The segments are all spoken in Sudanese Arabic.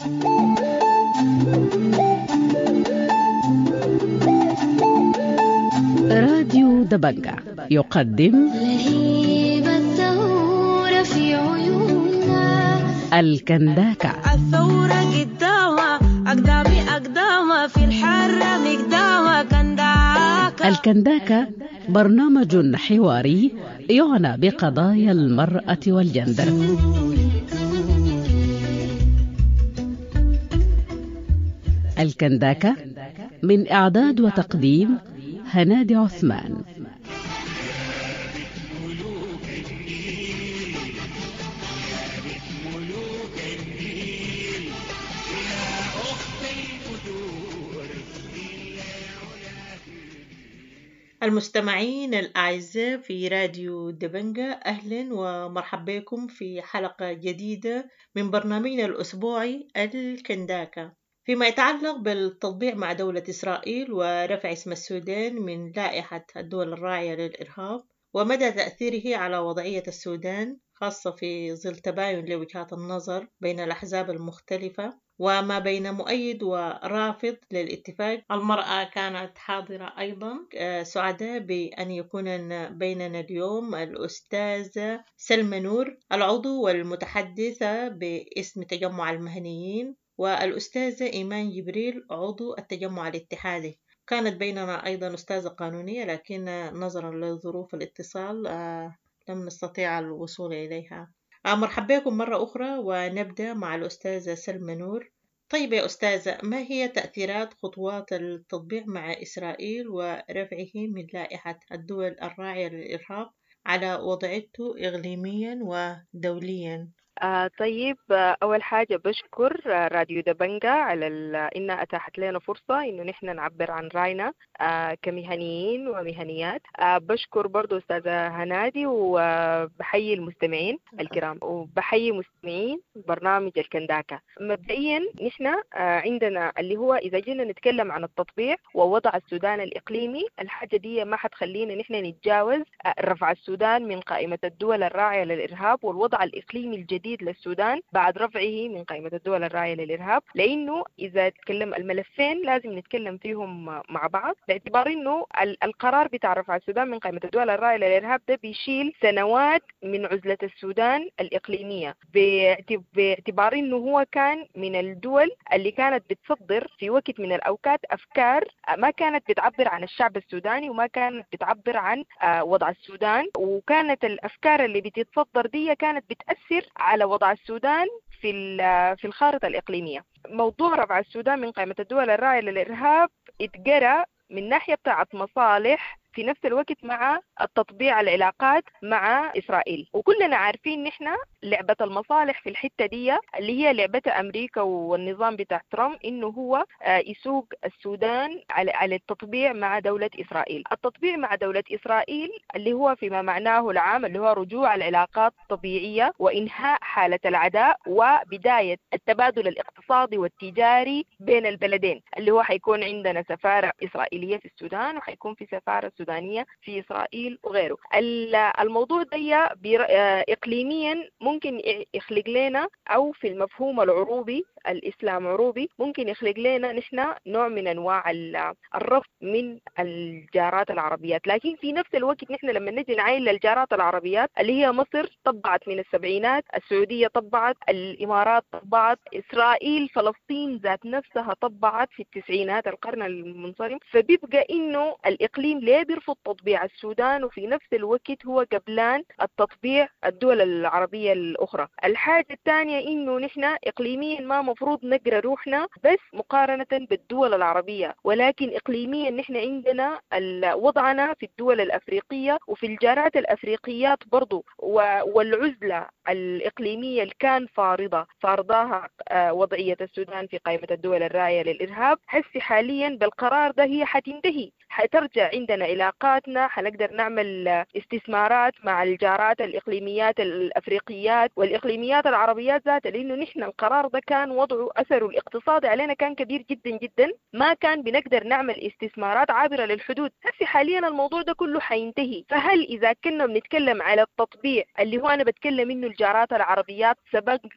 راديو دبنجة يقدم لهيب الثورة في عيوننا. الكنداكة. الثورة قدامها أقدامي أقدامها في الحرة مقدامها كنداكة. الكنداكة برنامج حواري يعنى بقضايا المرأة والجندر. الكنداكة من إعداد وتقديم هنادي عثمان. المستمعين الأعزاء في راديو دبنجة، أهلا ومرحبا بكم في حلقة جديدة من برنامجنا الأسبوعي الكنداكة، فيما يتعلق بالتطبيع مع دولة إسرائيل ورفع اسم السودان من لائحة الدول الراعية للإرهاب ومدى تأثيره على وضعية السودان، خاصة في ظل تباين لوجهات النظر بين الأحزاب المختلفة وما بين مؤيد ورافض للاتفاق. المرأة كانت حاضرة أيضا. سعداء بأن يكون بيننا اليوم الأستاذة سلمى نور، العضو والمتحدثة باسم تجمع المهنيين، والأستاذة إيمان جبريل عضو التجمع الاتحادي. كانت بيننا أيضا أستاذة قانونية، لكن نظرا لظروف الاتصال لم نستطيع الوصول إليها. مرحبا بكم مرة أخرى، ونبدأ مع الأستاذة سلمى نور. طيب يا أستاذة، ما هي تأثيرات خطوات التطبيع مع إسرائيل ورفعه من لائحة الدول الراعية للإرهاب على وضعيته إقليميا ودوليا؟ طيب، أول حاجة بشكر راديو دبنجة على إنها أتاحت لنا فرصة إنه نحن نعبر عن رأينا كمهنيين ومهنيات. بشكر برضو أستاذة هنادي، وبحيي المستمعين الكرام وبحيي مستمعين برنامج الكنداكة. مبدئيا نحن عندنا اللي هو إذا جينا نتكلم عن التطبيع ووضع السودان الإقليمي، الحاجة دي ما حتخلينا نحن نتجاوز رفع السودان من قائمة الدول الراعية للإرهاب والوضع الإقليمي الجديد للسودان بعد رفعه من قائمة الدول الراعية للإرهاب، لأنه إذا تكلم الملفين لازم نتكلم فيهم مع بعض، باعتبار إنه القرار بتاع رفع السودان من قائمة الدول الراعية للإرهاب ده بيشيل سنوات من عزلة السودان الإقليمية، باعتبار إنه هو كان من الدول اللي كانت بتصدر في وقت من الأوقات أفكار ما كانت بتعبر عن الشعب السوداني وما كانت بتعبر عن وضع السودان، وكانت الأفكار اللي بتتصدر دي كانت بتأثر على وضع السودان في الخارطة الإقليمية. موضوع رفع السودان من قائمة الدول الراعية للإرهاب اتجرى من ناحية بتاعت مصالح في نفس الوقت مع التطبيع العلاقات مع إسرائيل، وكلنا عارفين نحن لعبة المصالح في الحتة دي اللي هي لعبة أمريكا والنظام بتاع ترامب، إنه هو يسوق السودان على التطبيع مع دولة إسرائيل. التطبيع مع دولة إسرائيل اللي هو فيما معناه العام اللي هو رجوع العلاقات الطبيعية وإنهاء حالة العداء وبداية التبادل الاقتصادي والتجاري بين البلدين، اللي هو حيكون عندنا سفارة إسرائيلية في السودان وحيكون في سفارة سودانية في إسرائيل وغيره. الموضوع ده إقليميا ممكن يخلق لنا، أو في المفهوم العروبي الإسلام عروبي، ممكن يخلق لنا نحن نوع من أنواع الرفض من الجارات العربيات. لكن في نفس الوقت نحن لما نجي نعاين للجارات العربيات اللي هي مصر طبعت من السبعينات، السعودية طبعت، الإمارات طبعت، إسرائيل فلسطين ذات نفسها طبعت في التسعينات القرن المنصرم. فبيبقى إنه الإقليم ليه بيرفض تطبيع السودان وفي نفس الوقت هو قبلان التطبيع الدول العربية الأخرى. الحاجة الثانية إنه نحن إقليميا ما مفروض نقرأ روحنا بس مقارنة بالدول العربية، ولكن إقليميا نحن عندنا وضعنا في الدول الأفريقية وفي الجارات الأفريقيات برضو، والعزلة الإقليمية اللي كان فارضاها وضعية السودان في قائمة الدول الراعية للإرهاب، حسي حاليا بالقرار ده هي حتنتهي، حترجع عندنا علاقاتنا، حنقدر نعمل استثمارات مع الجارات الإقليميات الأفريقيات والإقليميات العربيات ذاتها، لأنه نحن القرار ده كان وضعه أثره الاقتصادي علينا كان كبير جدا جدا، ما كان بنقدر نعمل استثمارات عابرة للحدود. هسي حاليا الموضوع ده كله حينتهي. فهل إذا كنا بنتكلم على التطبيع اللي هو أنا بتكلم إنه الجارات العربيات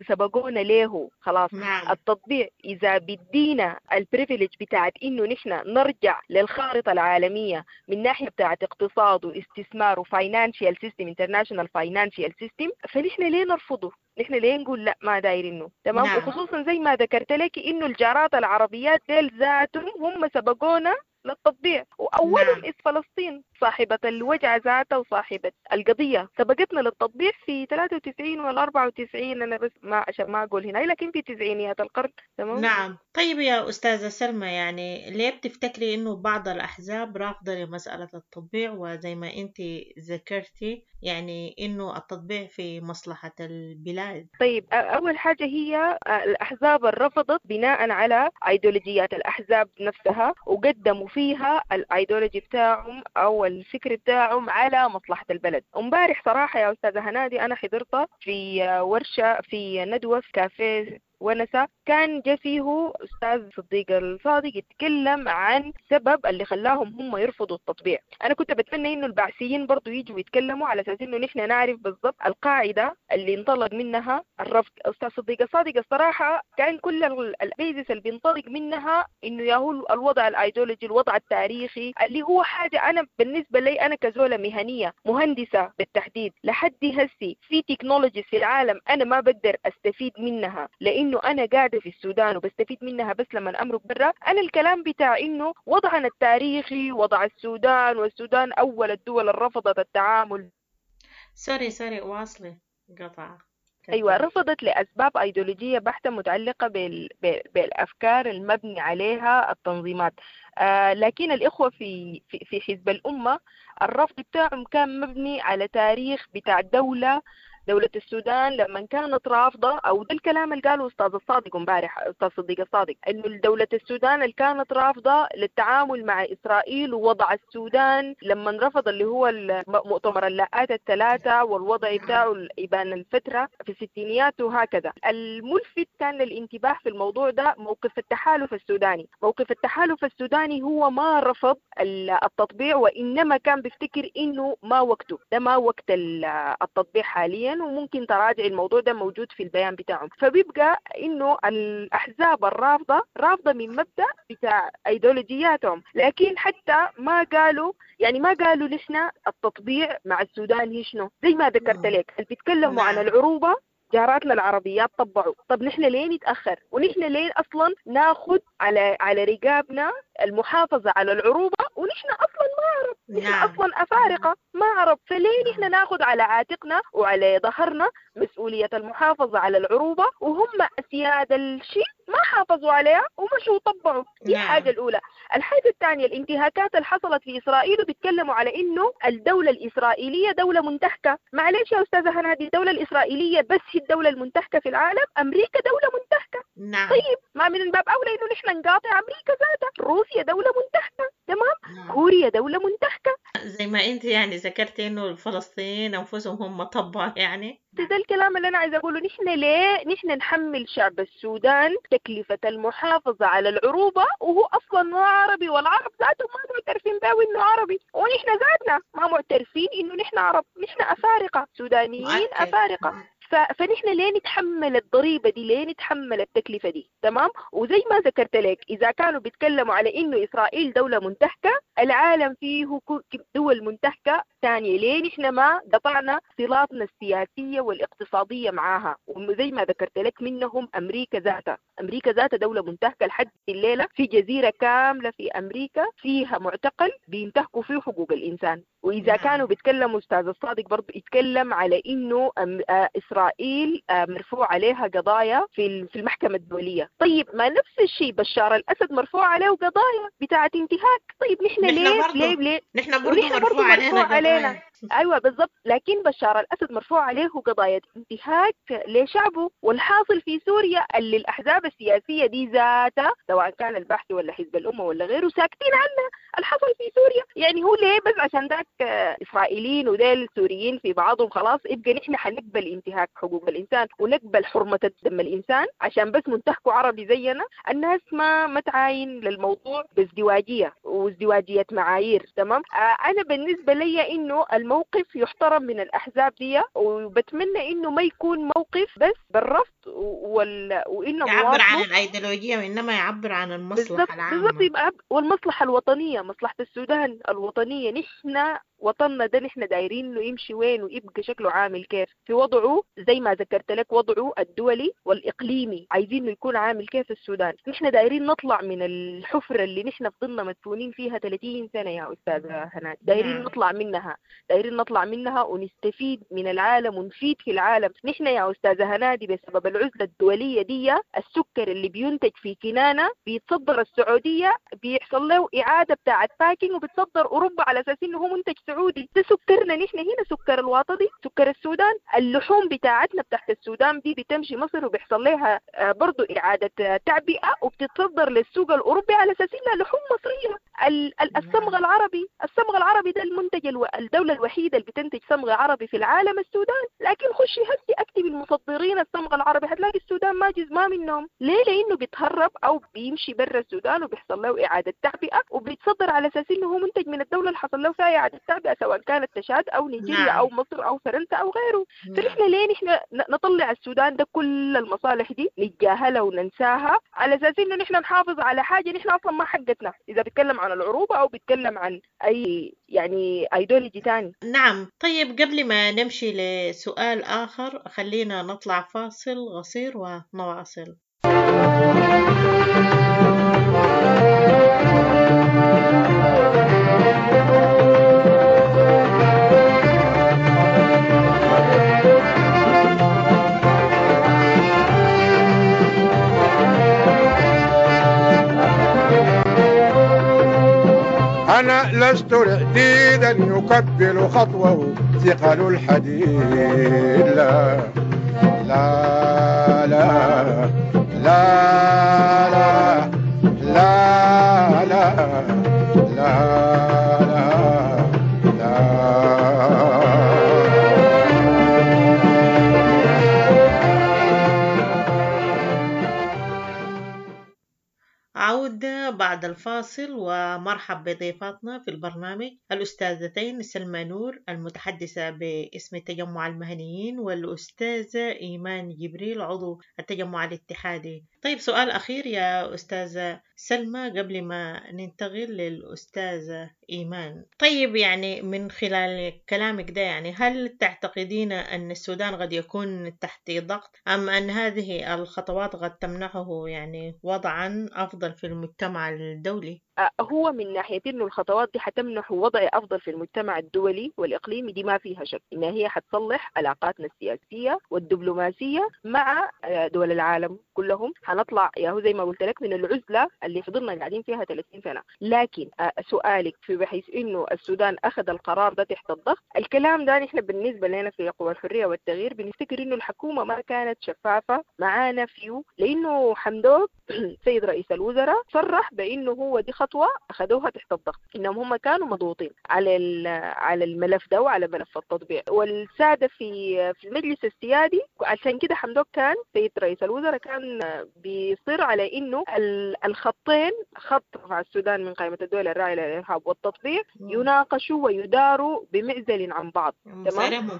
سبقونا ليه خلاص. نعم. التطبيع إذا بدينا ال privilege بتاعت إنه نحن نرجع للخارطة العالمية من ناحية بتاعت اقتصاد واستثمار و financial system، international financial system، فنحن ليه نرفضه؟ نحن ليه نقول لا ما دايرينه؟ تمام. نعم. وخصوصا زي ما ذكرت لك إنه الجارات العربيات ديل ذاتهم هم سبقونا للتطبيع، وأولهم نعم. إذ فلسطين صاحبة الوجع ذاتها وصاحبة القضية سبقتنا للتطبيع في 93 ولا 94، أنا بس ما عشان ما أقول هنا، لكن في تسعينيات القرن. تمام. نعم. طيب يا أستاذة سلمى، يعني ليه بتفتكري إنه بعض الأحزاب رافضة لمسألة التطبيع، وزي ما أنت ذكرتي يعني إنه التطبيع في مصلحة البلاد؟ طيب، أول حاجة هي الأحزاب رفضت بناء على أيديولوجيات الأحزاب نفسها، وقدموا فيها الأيديولوجي بتاعهم أو الفكر بتاعهم على مصلحة البلد. امبارح صراحة يا أستاذة هنادي أنا حضرت في ورشة في ندوة في كافيه ونسا، كان جا فيه أستاذ صديق الصادق يتكلم عن سبب اللي خلاهم هم يرفضوا التطبيع. أنا كنت بتمنى إنه البعثيين برضو يجوا يتكلموا على أساس إنه نحن نعرف بالضبط القاعدة اللي انطلق منها الرفض. أستاذ صديق الصادق الصراحة كان كل ال basis اللي بينطلق منها إنه ياهو الوضع الأيديولوجي، الوضع التاريخي، اللي هو حاجة أنا بالنسبة لي أنا كزولة مهنية مهندسة بالتحديد لحد هسي في technologies في العالم أنا ما بقدر أستفيد منها لأنه أنا قاعدة في السودان وبستفيد منها بس لما أمرق برا. أنا الكلام بتاع إنه وضعنا التاريخي، وضع السودان، والسودان أول الدول اللي رفضت التعامل. sorry واصلي قطع. أيوة، رفضت لأسباب أيديولوجية بحتة متعلقة بالأفكار المبني عليها التنظيمات. لكن الإخوة في في حزب الأمة الرفض بتاعهم كان مبني على تاريخ بتاع دولة السودان لما كانت رافضة، أو ده الكلام اللي قاله أستاذ الصادق امبارح، أستاذ صديق الصادق، إنه دولة السودان اللي كانت رافضة للتعامل مع إسرائيل، ووضع السودان لما رفض اللي هو مؤتمر اللاءات الثلاثة والوضع بتاعه إبان الفترة في الستينيات وهكذا. الملفت كان للانتباه في الموضوع ده موقف التحالف السوداني. موقف التحالف السوداني هو ما رفض التطبيع، وإنما كان بيفتكر إنه ما وقته، ده ما وقت التطبيع حاليا، وممكن تراجع الموضوع ده موجود في البيان بتاعهم. فبيبقى انه الاحزاب الرافضه رافضه من مبدا بتاع ايديولوجياتهم، لكن حتى ما قالوا، يعني ما قالوا نحن التطبيع مع السودان هي شنو، زي ما ذكرت لك اللي بيتكلموا عن العروبه جاراتنا العربيات طبعوا. طب نحن ليه نتأخر؟ ونحن ليه أصلا ناخد على رقابنا المحافظة على العروبة ونحن أصلا ما عرب؟ نحن أصلا أفارقة ما عرب، فليه نحن ناخد على عاتقنا وعلى ظهرنا مسؤولية المحافظة على العروبة وهم أسياد الشيء ما حافظوا عليها ومشوا طبعوا؟ دي الحاجة الأولى. الحاجة الثانية الانتهاكات اللي حصلت في إسرائيل، وبيتكلموا على إنه الدولة الإسرائيلية دولة منتهكة. معلش يا أستاذة هنادي، الدولة الإسرائيلية بس هي الدولة المنتهكة في العالم؟ أمريكا دولة منتهكة. نعم. طيب ما من الباب أولى إنه نحن نقاطع أمريكا ذاتها. روسيا دولة منتهكة، تمام. نعم. كوريا دولة منتهكة. زي ما أنت يعني ذكرتي إنه الفلسطينيين أنفسهم هم طبعا يعني ده الكلام اللي أنا عايزة أقوله. نحن ليه نحن نحمل شعب السودان تكلفة المحافظة على العروبة وهو أصلا ما عربي، والعرب ذاتهم ما معترفين به إنه عربي، ونحن ذاتنا ما معترفين إنه نحن عرب، نحن أفارقة، سودانيين أفارقة. فنحن ليه نتحمل الضريبة دي؟ ليه نتحمل التكلفة دي؟ تمام. وزي ما ذكرت لك إذا كانوا بيتكلموا على إنه إسرائيل دولة منتهكة، العالم فيه دول منتهكة ثانية، ليه نحن ما قطعنا صلاتنا السياسية والاقتصادية معاها؟ وزي ما ذكرت لك منهم أمريكا ذاتها، أمريكا ذاتها دولة منتهكة لحد الليلة، في جزيرة كاملة في أمريكا فيها معتقل بينتهكوا فيه حقوق الإنسان. وإذا كانوا بيتكلموا أستاذ الصادق برضو يتكلم على إنه إسرائيل مرفوع عليها قضايا في المحكمة الدولية. طيب ما نفس الشيء بشار الأسد مرفوع عليه قضايا بتاعة انتهاك. طيب نحن ليه ليه ليه نحن برضو مرفوع علينا. ايوه بالضبط. لكن بشار الاسد مرفوع عليه قضايا انتهاك لشعبه، والحاصل في سوريا اللي الاحزاب السياسية دي ذاتها سواء كان البحث ولا حزب الامة ولا غيره ساكتين عنها الحصل في سوريا. يعني هو ليه بس عشان ذاك اسرائيليين وديل سوريين في بعضهم خلاص يبقى نحن حنقبل انتهاك حقوق الانسان ونقبل حرمه دم الانسان عشان بس منتهكوا عربي زينا؟ الناس ما تعاين للموضوع بازدواجيه وازدواجيه معايير. تمام. انا بالنسبة لي انه الموقف يحترم من الاحزاب دي، وبتمنى انه ما يكون موقف بس بالرفض وانه يعبر عن الايديولوجية وانما يعبر عن المصلحة العامة بالضبط. يبقى والمصلحة الوطنية، مصلحة السودان الوطنية. نحن وطننا ده نحن دايرين انه يمشي وين ويبقى شكله عامل كيف في وضعه، زي ما ذكرت لك وضعه الدولي والاقليمي، عايزين انه يكون عامل كيف السودان. نحن دايرين نطلع من الحفرة اللي نحن فضلنا مدفونين فيها 30 سنة يا استاذه هنادي، دايرين نطلع منها، دايرين نطلع منها ونستفيد من العالم ونفيد في العالم. نحن يا استاذه هنادي بسبب العزلة الدولية دي السكر اللي بينتج في كنانة بيتصدر السعودية، بيحصل له اعاده بتاعه packing وبتصدر اوروبا على اساس انه هو منتج سعودي. ده سكرنا نحن هنا، سكر الواطدي، سكر السودان. اللحوم بتاعتنا بتاعت السودان دي بتمشي مصر وبيحصل لها برضو إعادة تعبئة وبتتصدر للسوق الأوروبي على أساس إنها لحوم مصرية. الصمغ العربي، الصمغ العربي ده المنتج الدولة الوحيدة اللي بتنتج صمغ عربي في العالم السودان. لكن خشي هسي اكتبي المصدرين الصمغ العربي هتلاقي السودان ما جزء ما منهم. ليه؟ لأنه بيتهرب أو بيمشي برا السودان وبيحصل له إعادة تعبئة وبيتصدر على أساس إنه هو منتج من الدولة اللي حصل له فيها إعادة تعبئة، سواء كانت تشاد أو نيجيريا أو مصر أو فرنسا أو غيره. فنحن ليه نحن نطلع السودان ده كل المصالح دي نتجاهلها وننساها على أساس إنه نحن نحافظ على حاجة نحن أصلا ما حقتنا، إذا بيتكلم عن العروبة أو بيتكلم عن أي يعني أيديولوجي تاني. نعم. طيب قبل ما نمشي لسؤال آخر خلينا نطلع فاصل قصير ونواصل. أنا لست رعديدا يكبل خطوة ثقل الحديد، لا لا لا لا لا لا لا لا لا. عودة بعد الفاصل، ومرحب بضيفاتنا في البرنامج الأستاذتين سلمى نور المتحدثة باسم تجمع المهنيين، والأستاذة إيمان جبريل عضو التجمع الاتحادي. طيب سؤال أخير يا أستاذة سلمى قبل ما ننتقل للأستاذة إيمان. طيب يعني من خلال كلامك ده يعني هل تعتقدين أن السودان قد يكون تحت ضغط أم أن هذه الخطوات قد تمنحه يعني وضعا أفضل في المجتمع الدولي؟ هو من ناحية إنه الخطوات دي حتمنح وضع أفضل في المجتمع الدولي والإقليمي دي ما فيها شك، إنها هي حتصلح علاقاتنا السياسية والدبلوماسية مع دول العالم كلهم. حنطلع يا هو زي ما قلت لك من العزلة اللي فضلنا قاعدين فيها 30 سنة. لكن سؤالك في بحيث إنه السودان أخذ القرار ده تحت الضغط، الكلام ده نحن بالنسبة لنا في قوى الحرية والتغيير بنفتكر إنه الحكومة ما كانت شفافة معانا فيه، لأنه حمدوك سيد رئيس الوزراء صرح بإنه هو دي خطوة أخذوها تحت الضغط، إنهم هم كانوا مضغوطين على الملف ده وعلى ملف التطبيع والسادة في المجلس السيادي. عشان كده حمدوك كان سيد رئيس الوزراء كان بيصر على إنه الخطين، خط رفع السودان من قائمة الدول الراعية للإرهاب والتطبيع، يناقشوا ويداروا بمعزل عن بعض. تمام،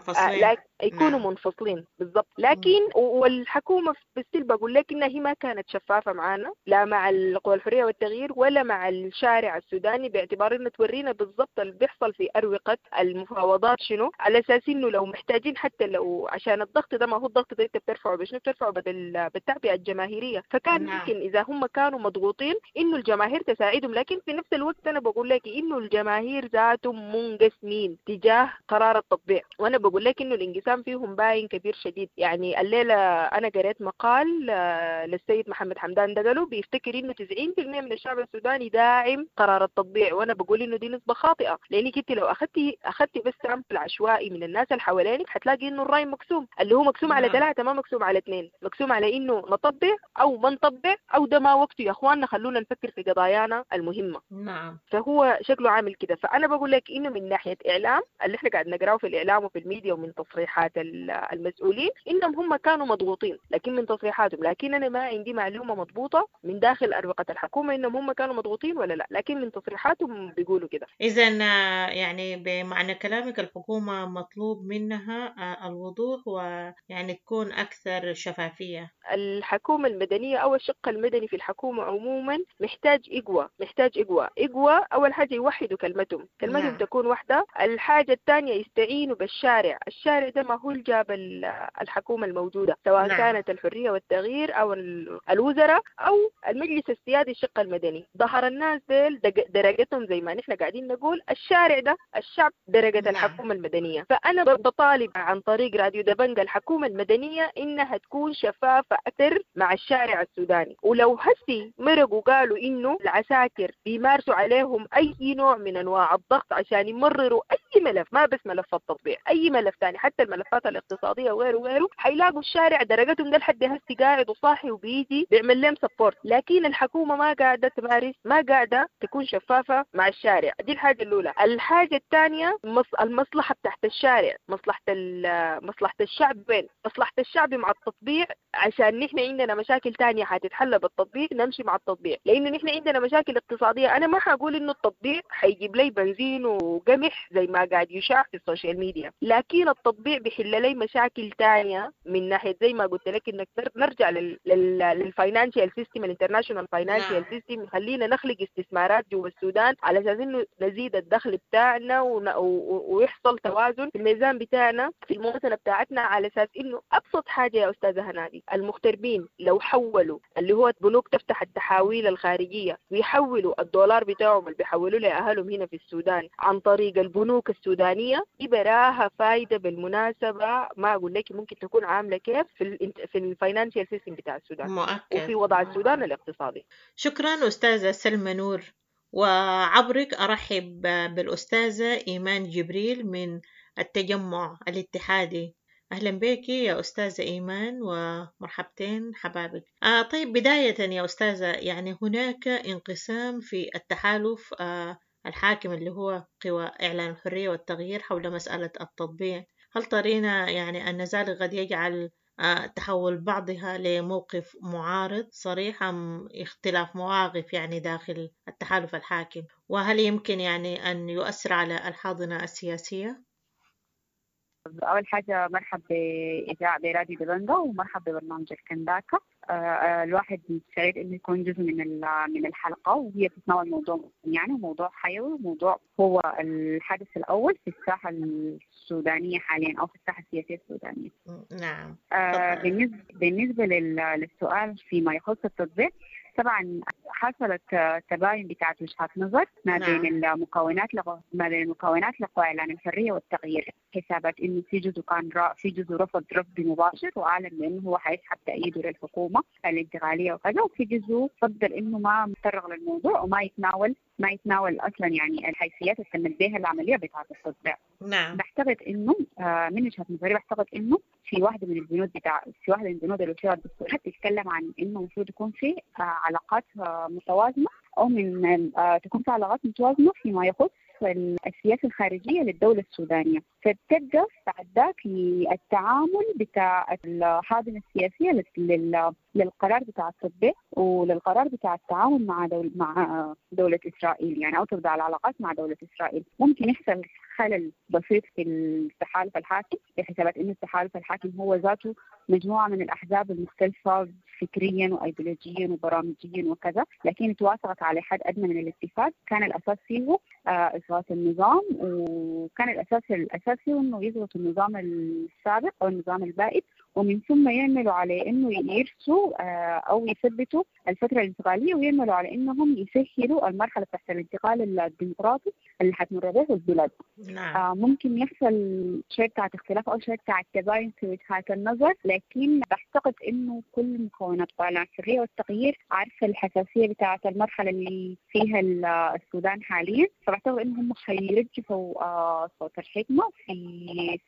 يكونوا منفصلين بالضبط. لكن والحكومة بالسلب بقول لك إنها هي ما كانت شفافة معانا، لا مع القوى الحرية والتغيير ولا مع الشارع السوداني، باعتبار انه تورينا بالضبط اللي بيحصل في أروقة المفاوضات شنو، على اساس انه لو محتاجين حتى لو عشان الضغط ده، ما هو الضغط ده انت بترفعه بشنو؟ بترفعه بالتعبئة الجماهيرية. الجمهورية. فكان ممكن إذا هم كانوا مضغوطين إنه الجماهير تساعدهم، لكن في نفس الوقت أنا بقول لك إنه الجماهير ذاتهم منقسمين تجاه قرار التطبيع، وأنا بقول لك إنه الانقسام فيهم باين كبير شديد. يعني الليلة أنا قريت مقال للسيد محمد حمدان دقلو بيفتكر إنه 90% من الشعب السوداني داعم قرار التطبيع، وأنا بقول إنه دي نسبة خاطئة، لأنك أنت لو أخذتي بس sample عشوائي من الناس اللي حوالينك حتلاقي إنه الرأي مقسوم، اللي هو مقسوم على 3 ما مقسوم على 2، مقسوم على إنه نطبع أو ما نطبع أو ده ما وقته يا أخواننا، خلونا نفكر في قضايانا المهمة. نعم. فهو شكله عامل كده. فأنا بقول لك إنه من ناحية إعلام اللي إحنا قاعد نقراه في الإعلام وفي الميديا ومن تصريحات المسؤولين إنهم هم كانوا مضغوطين، لكن من تصريحاتهم، لكن أنا ما عندي معلومة مضبوطة من داخل أروقة الحكومة إنهم هم كانوا مضغوطين ولا لا، لكن من تصريحاتهم بيقولوا كده. إذا يعني بمعنى كلامك الحكومة مطلوب منها الوضوح ويعني تكون أكثر شفافية. الحكومة المدنية أو الشق المدني في الحكومة عموما محتاج إقوى، محتاج إقوى. أول حاجة يوحدوا كلمتهم نعم. تكون واحدة. الحاجة الثانية يستعينوا بالشارع، الشارع ده ما هو اللي جاب الحكومة الموجودة، سواء نعم. كانت الحرية والتغيير أو الوزراء أو المجلس السيادي الشق المدني. ظهر الناس ديل درجتهم زي ما نحن قاعدين نقول، الشارع ده الشعب درجة نعم. الحكومة المدنية. فأنا بطالب عن طريق راديو دبنجة الحكومة المدنية إنها تكون شفافة أكثر مع الشارع السوداني. ولو هسي مرقوا قالوا إنه العساكر بيمارسوا عليهم أي نوع من أنواع الضغط عشان يمرروا أي ملف، ما بس ملف التطبيع، أي ملف تاني حتى الملفات الاقتصادية وغيره وغيره، حيلاقوا الشارع درجتهم ده لحد هسي قاعد وصاحي وبيجي بيعمل لهم support. لكن الحكومة ما قاعدة تمارس، ما قاعدة تكون شفافة مع الشارع. دي الحاجة الأولى. الحاجة الثانية المصلحة بتاعت الشارع، مصلحة الشعب وين؟ مصلحة الشعب مع التطبيع، عشان نحن عندنا مشاكل تانية حتتحل بالتطبيع، نمشي مع التطبيع، لأنه نحن عندنا مشاكل اقتصادية. أنا ما حقول إنه التطبيع حيجيب لي بنزين وقمح زي ما قاعد يشاع في ال social media، لكن التطبيع بيحل لي مشاكل تانية من ناحية زي ما قلت لك إنك نرجع لل financial system، ال international financial system، خلينا نخلق استثمارات جوا السودان على أساس إنه نزيد الدخل بتاعنا ويحصل توازن في الميزان بتاعنا في الموازنة بتاعتنا، على أساس إنه أبسط حاجة يا أستاذة هنادي، المغتربين لو حولوا اللي هو بنوك تفتح التحاويل الخارجية ويحولوا الدولار بتاعهم اللي بيحولوا لأهلهم هنا في السودان عن طريق البنوك السودانية، دي براها فايدة بالمناسبة، ما أقول لك ممكن تكون عاملة كيف في ال financial system بتاع السودان مؤكد. وفي وضع السودان الاقتصادي. شكرا أستاذة سلمى نور، وعبرك أرحب بالأستاذة إيمان جبريل من التجمع الاتحادي. أهلا بك يا أستاذة إيمان ومرحبتين حبابك. طيب بداية يا أستاذة، يعني هناك انقسام في التحالف الحاكم اللي هو قوى إعلان الحرية والتغيير حول مسألة التطبيع، هل ترين يعني أن ذلك قد يجعل تحول بعضها لموقف معارض صريح أم اختلاف مواقف يعني داخل التحالف الحاكم، وهل يمكن يعني أن يؤثر على الحاضنة السياسية؟ أول حاجة مرحب بإذاعة براديو دبنجة ومرحب ببرنامج الكنداكا. الواحد سعيد إنه يكون جزء من الحلقة، وهي بتتناول موضوع يعني موضوع حيوي، وموضوع هو الحدث الأول في الساحة السودانية حاليا أو في الساحة السياسية السودانية. نعم. بالنسبة للسؤال فيما يخص التطبيق، طبعا حصلت تباين بتاعت وجهات نظر ما بين المكونات ما بين المكونات لقوى اعلان الحريه والتغيير، حسابات انه في جزء كان في جزء رفض رفض مباشر واعلن بانه هو حيسحب تأييده للحكومه الانتقاليه وكذا، وفي جزء فضل انه ما متطرق للموضوع وما يتناول اصلا يعني الحيثيات اللي تمت بها العمليه بتاعت التطبيع. نعم. بعتقد انه من وجهه نظري بعتقد انه في واحده من البنود في واحده من بنود الوثيقه الدستوريه بتتكلم عن انه المفروض يكون في علاقات متوازنه، او من تكون في علاقات متوازنه فيما يخص السياسه الخارجيه للدوله السودانيه، فبتبدا بعد ذاك التعامل بتاع الحاضنه السياسيه للقرار بتاع التطبيق وللقرار بتاع التعاون مع دولة إسرائيل، يعني أو تبدأ العلاقات مع دولة إسرائيل. ممكن يحصل خلل بسيط في التحالف الحاكم بحسابات إنه التحالف الحاكم هو ذاته مجموعة من الأحزاب المختلفة فكريا وأيديولوجيا وبرامجيا وكذا، لكن توافقت على حد أدنى من الاتفاق كان الأساس فيه إسقاط النظام، وكان الأساس الأساسي إنه يضغط النظام السابق أو النظام البائد ومن ثم يعملوا على انه يرسوا او يثبتوا الفترة الانتقالية، ويعملوا على انهم يسهلوا المرحلة تحت الانتقال الديمقراطي اللي حتمر به البلاد. نعم. ممكن يحصل شوية بتاعت اختلاف او شوية بتاعت تباين في وجهات النظر، لكن بعتقد انه كل مكونات قناة الحرية والتغيير عارفه الحساسية بتاعت المرحلة اللي فيها السودان حاليا، فبعتقد انهم حيرجحوا صوت الحكمة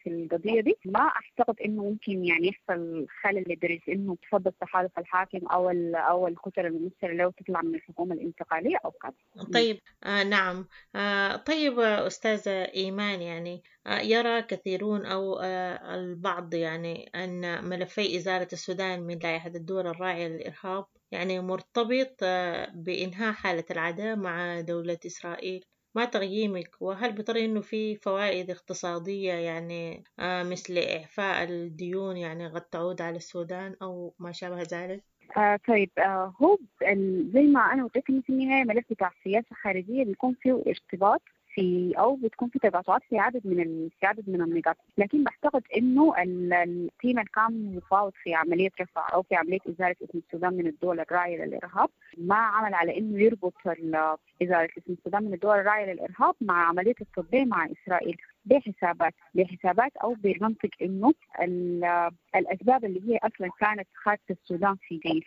في القضية دي. ما اعتقد انه ممكن يعني يحصل خلل لدرجة انه تفضل تحالف الحاكم او الكتل الممثلة لو تطلع من الحكومة الانتقالية او كذا. طيب نعم. طيب أستاذة إيمان، يعني يرى كثيرون أو البعض يعني أن ملفي إزالة السودان من لائحة الدول الراعية للإرهاب يعني مرتبط بإنهاء حالة العداء مع دولة إسرائيل، ما تقييمك؟ وهل بترى إنه في فوائد اقتصادية يعني مثل إعفاء الديون يعني قد تعود على السودان أو ما شابه ذلك؟ طيب هو زي ما أنا قلت لك في النهاية ملف بتاع السياسة الخارجية بيكون فيه ارتباط في او بتكون في تقاطعات في عدد من النقاط، لكن بعتقد انه ال team اللي كان مفاوض في عملية رفع او في عملية ازالة اسم السودان من الدول الراعيه للارهاب ما عمل على انه يربط ازالة اسم السودان من الدول الراعيه للارهاب مع عملية التطبيع مع اسرائيل بحسابات او بمنطق انه الاسباب اللي هي اصلا كانت خاصة السودان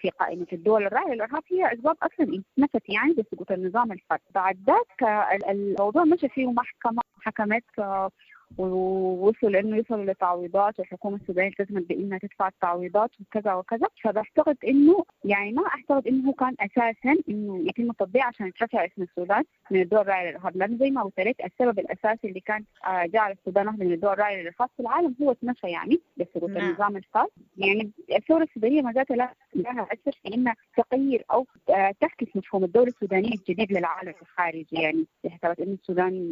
في قائمة الدول الراعيه للارهاب هي اسباب اصلا اتنفت يعني بسقوط النظام الفات. بعد ذاك الموضوع مشى فيه محكمة، حكمت ووصل انه يوصلوا لتعويضات، والحكومة السودانية التزمت بانها تدفع التعويضات وكذا وكذا. فبعتقد انه يعني ما اعتقد انه كان اساسا انه يتم التطبيع عشان يترفع اسم السودان من الدول الراعيه للارهاب، لانه زي ما قلت لك السبب الاساسي اللي كان جعل السودان واحدة من الدول الراعيه للارهاب في العالم هو اتنفى يعني بسقوط النظام الفاسد. يعني الثورة السودانية ما زالت لها اثر في انها تغير او تعكس مفهوم الدولة السودانية الجديد للعالم الخارجي، يعني بحسابات انه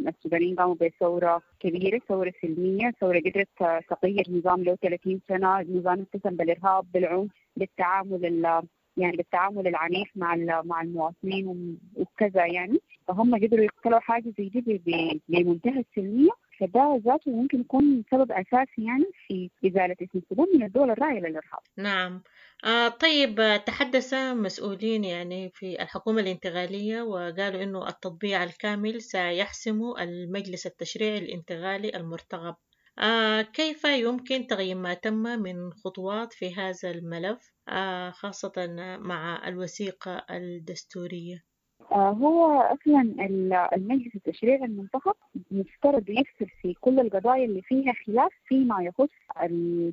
السودانيين قاموا بثورة كبيرة، ثورة سلمية، ثورة قدرت تغير نظام له 30 سنة، نظام اتسم بالإرهاب، بالعنف، بالتعامل يعني بالتعامل العنيف مع المواطنين وكذا يعني. فهم قدروا يقتلوا حاجة زي دي بمنتهى السلمية، فده ذاته ممكن يكون سبب أساسي يعني في إزالة اسم السودان من الدول الراعية للإرهاب. نعم. طيب تحدث مسؤولين يعني في الحكومة الانتقالية وقالوا إنه التطبيع الكامل سيحسم المجلس التشريعي الانتقالي المرتقب. كيف يمكن تغيير ما تم من خطوات في هذا الملف خاصة مع الوثيقة الدستورية؟ هو اصلا المجلس التشريعي المنتخب مفترض يفصل في كل القضايا اللي فيها خلاف فيما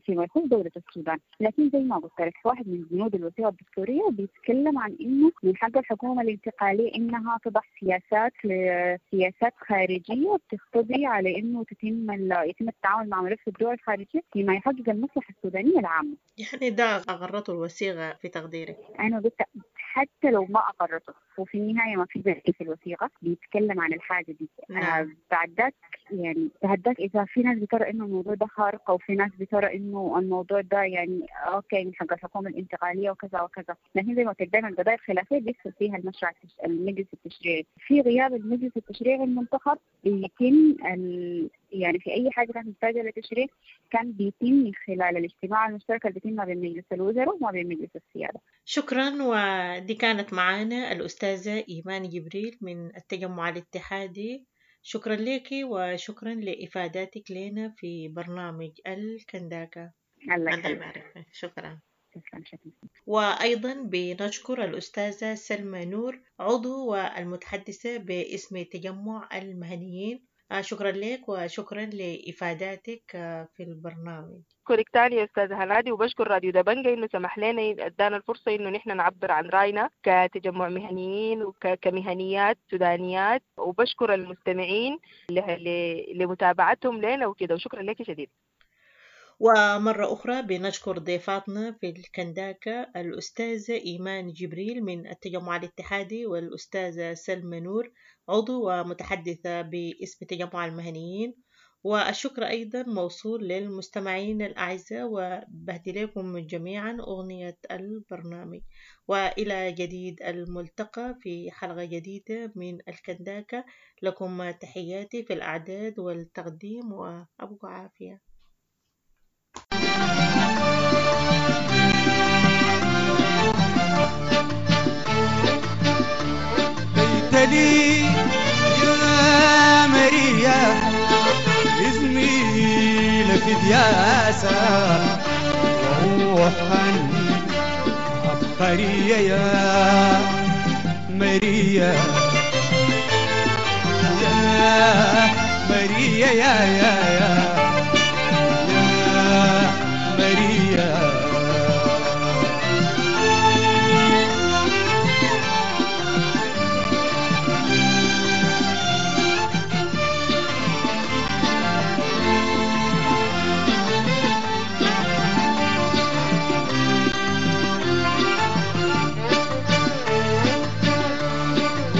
يخص دولة السودان، لكن زي ما قلت لك واحد من بنود الوثيقة الدستورية بيتكلم عن انه من حق الحكومة الانتقالية انها تضع سياسات خارجية بتقتضي على انه يتم التعامل مع ملف الدول الخارجية فيما يحقق المصلحة السودانية العامة. يعني ده اقرته الوثيقة في تقديرك؟ انا قلت حتى لو ما اقرته وفي النهاية ما في بند في الوثيقة بيتكلم عن الحاجة دي. نعم. بعد ذاك يعني بعد ذاك اذا في ناس بترى انه الموضوع ده خارق، او في ناس بترى انه الموضوع ده يعني okay من حق الحكومة الانتقالية وكذا وكذا، لكن زي ما قلت دائما القضايا الخلافية بيدخل فيها المشروع المجلس التشريعي. في غياب المجلس التشريعي المنتخب بيتم يعني في اي حاجة كانت محتاجه لتشريع كان بيتم من خلال الاجتماع المشترك اللي بيتم ما بين مجلس الوزراء وما بين مجلس السيادة. شكرا. ودي كانت معانا الأستاذة إيمان جبريل من التجمع الاتحادي. شكرا لك وشكرا لإفاداتك لنا في برنامج الكنداكة. الله يبارك فيك. شكرا. شكرا. وأيضا بنشكر الأستاذة سلمى نور عضو والمتحدثة باسم تجمع المهنيين. شكرا لك وشكرا لإفاداتك في البرنامج. بشكرك تاني يا أستاذة هنادي، وبشكر راديو دبنجة إنه سمح لنا إدانا الفرصة إنه نحن نعبر عن رأينا كتجمع مهنيين وكمهنيات سودانيات، وبشكر المستمعين لمتابعتهم لنا وكده، وشكرا لك شديد. ومرة أخرى بنشكر ضيفاتنا في الكنداكة الأستاذة إيمان جبريل من التجمع الاتحادي والأستاذة سلمى نور عضو ومتحدثة باسم تجمع المهنيين. والشكر أيضا موصول للمستمعين الأعزاء، وبهدي لكم جميعا أغنية البرنامج. وإلى جديد الملتقى في حلقة جديدة من الكنداكة. لكم تحياتي في الأعداد والتقديم، وأبقى عافية. لي يا ماريا زميلة في دياسة وروحا عبقرية يا ماريا يا ماريا يا يا يا يا ماريا.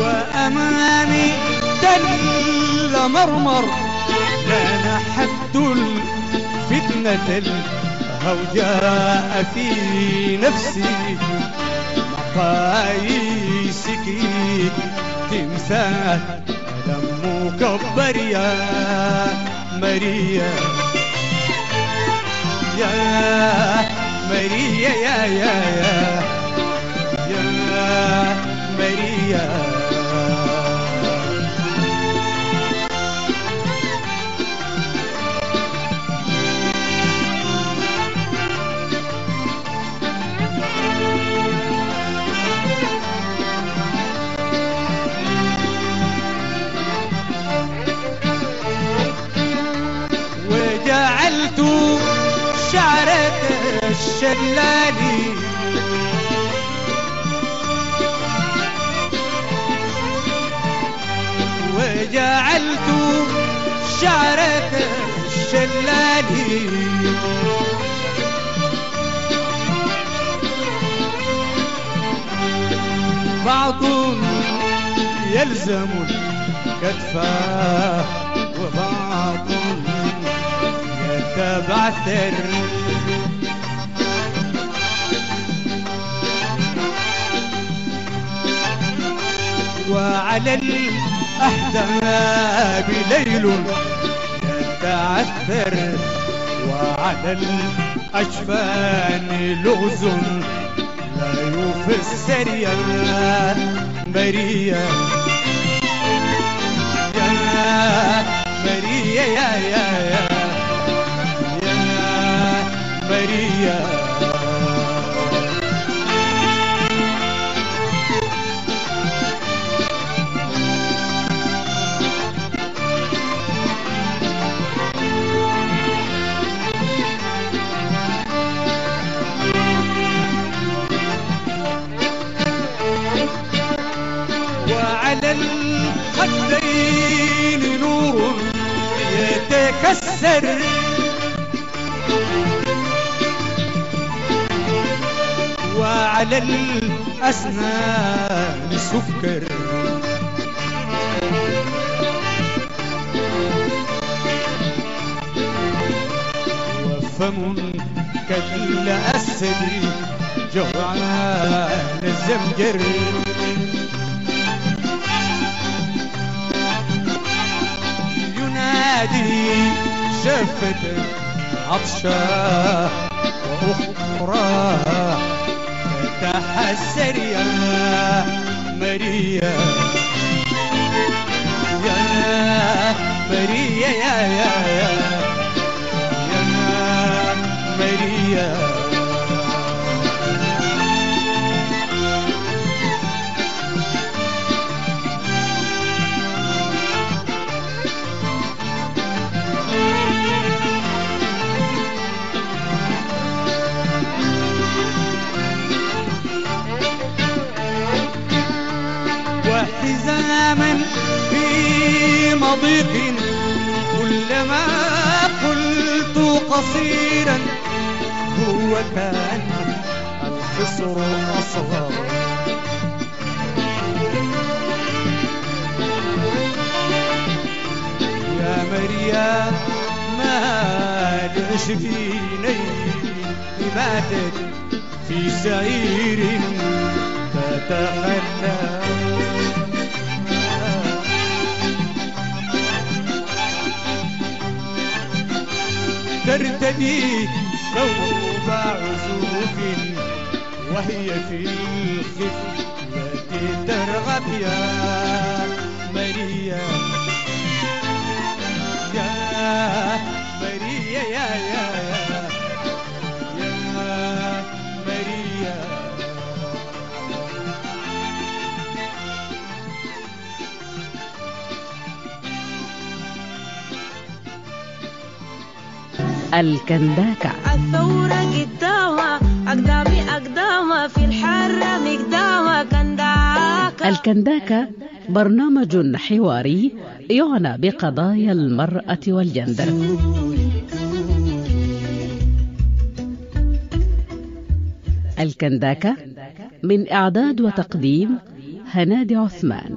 وأمامي تل مرمر كان حد الفتنة الهوجاء في نفسي مقاييسك تمثال ألم مكبر يا ماريا يا ماريا يا يا يا يا ماريا. وجعلت شعرة الشلال وجعلت شعرة الشلال بعض يلزم الكتف وبعض يتبعثر وعلى الأحداب ليل يتعثر وعلى الأجفان لغز لا يفسر يا ماريا يا ماريا يا يا يا يا ماريا. وعلى الخدين نور يتكسر وعلى الأسنان سكر وفم كالأسد جوعان الزمجر ينادي شفة عطشة وأخرى تتحسر يا ماريا يا ماريا يا يا يا يا ماريا. وحزاما في مضيق كلما قلت قصيرا هو كان الخصر أصغر يا مريم ما العشرينين ماتت في سعير تتخلى ترتدي ثوب عزوف وهي في الخفة ترغب يا ماريا يا ماريا يا يا يا ماريا. الكنداكة. الثورة قدامها أقدامي أقدامها في الحرة مقدامها كنداكة. الكنداكة برنامج حواري يعنى بقضايا المرأة والجندر. الكنداكة من إعداد وتقديم هنادي عثمان.